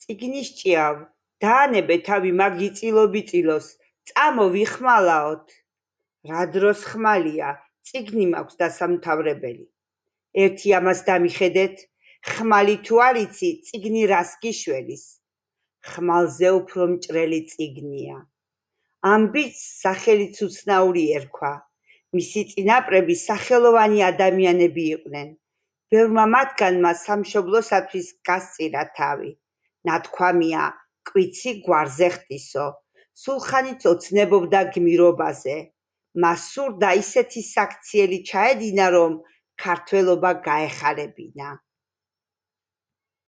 წიგნის ჭიავ, დაანებე თავი მაგ იწილობიწილოს, წამო ვიხმალაოთ. რა დროს ხმალია, წიგნი მაქვს დასამთავრებელი. ერთი ამას დამიხედეთ, ხმალი თუ არ იცი, წიგნი რას გიშველის. ხმალზე უფრო მჭრელი წიგნია. ამ ბიჭს სახელიც უცნაური ერქვა. მისი წინაპრები სახელოვანი ადამიანები იყვნენ. ბევრმა მათგანმა სამშობლოსათვის გასწირა თავი. ნათქვამია, კვიცი გვარზე ხტისო. სულხანიც ოცნებობდა გმირობაზე. მას სურდა ისეთი საქციელი ჩაედინა, რომ ქართველობა გაეხარებინა.